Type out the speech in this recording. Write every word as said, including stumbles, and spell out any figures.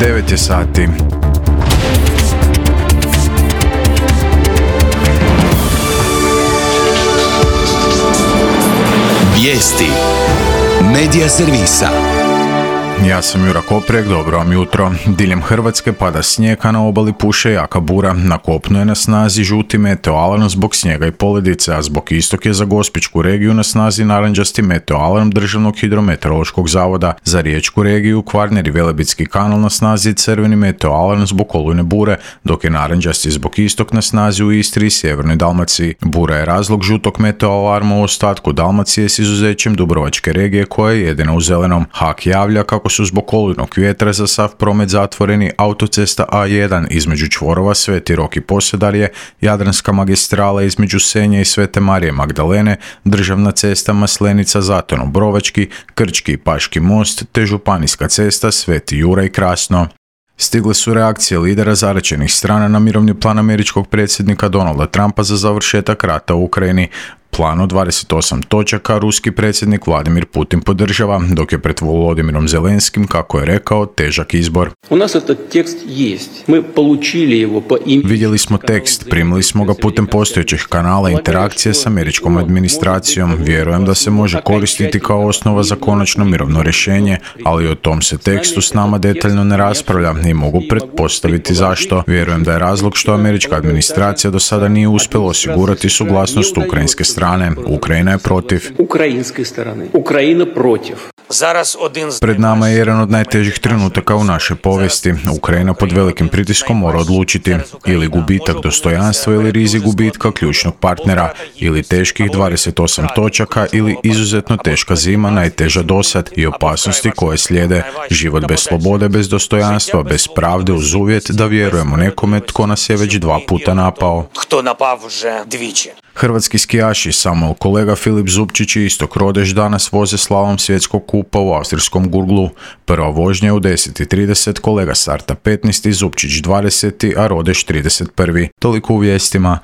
devet je sati. Vijesti Medija servisa. Ja sam Jura Koprek, dobro vam jutro. Diljem Hrvatske pada snijeg, a na obali puše jaka bura. Na kopnu je na snazi žuti meteoalarm zbog snijega i poledice, a zbog istog je za Gospićku regiju na snazi narančasti meteoalarm Državnog hidrometeorološkog zavoda. Za Riječku regiju, Kvarner i Velebitski kanal na snazi crveni meteoalarm zbog olujne bure, dok je narančasti zbog istog na snazi u Istri i Sjevernoj Dalmaciji. Bura je razlog žutog meteoalarma u ostatku Dalmacije s izuzećem Dubrovačke regije koja je jedina u zelenom. H A K javlja kako su zbog olujnog vjetra za sav promet zatvoreni autocesta A jedan između čvorova Sveti Rok i Posedarje, Jadranska magistrala između Senja i Svete Marije Magdalene, državna cesta Maslenica-Zatono-Brovački, Krčki i Paški most te županijska cesta Sveti Juraj Krasno. Stigle su reakcije lidera zaraćenih strana na mirovni plan američkog predsjednika Donalda Trumpa za završetak rata u Ukrajini. Plan od dvadeset osam točaka ruski predsjednik Vladimir Putin podržava, dok je pred Volodimirom Zelenskim, kako je rekao, težak izbor. U nas этот tekst jest. Mi получили его по im... Vidjeli smo tekst, primili smo ga putem postojećih kanala interakcije s američkom administracijom. Vjerujem da se može koristiti kao osnova za konačno mirovno rješenje, ali o tom se tekstu s nama detaljno ne raspravlja i mogu pretpostaviti zašto. Vjerujem da je razlog što američka administracija do sada nije uspjela osigurati suglasnost ukrajinske strane. Ukrajina je protiv. Ukrajinske strane. Ukrajina protiv. Pred nama je jedan od najtežih trenutaka u našoj povijesti. Ukrajina pod velikim pritiskom mora odlučiti ili gubitak dostojanstva ili rizik gubitka ključnog partnera, ili teških dvadeset osam točaka ili izuzetno teška zima, najteža dosad i opasnosti koje slijede. Život bez slobode, bez dostojanstva, bez pravde uz uvjet da vjerujemo nekome tko nas je već dva puta napao. Hrvatski skijaši Samuel Kolega, Filip Zupčić i Istok Rodeš danas voze slalom svjetskog kupa u austrijskom Gurglu. Prva vožnja je u deset i trideset, Kolega starta petnaesti, Zupčić dvadeseti, a Rodeš trideset prvi. Toliko u vijestima.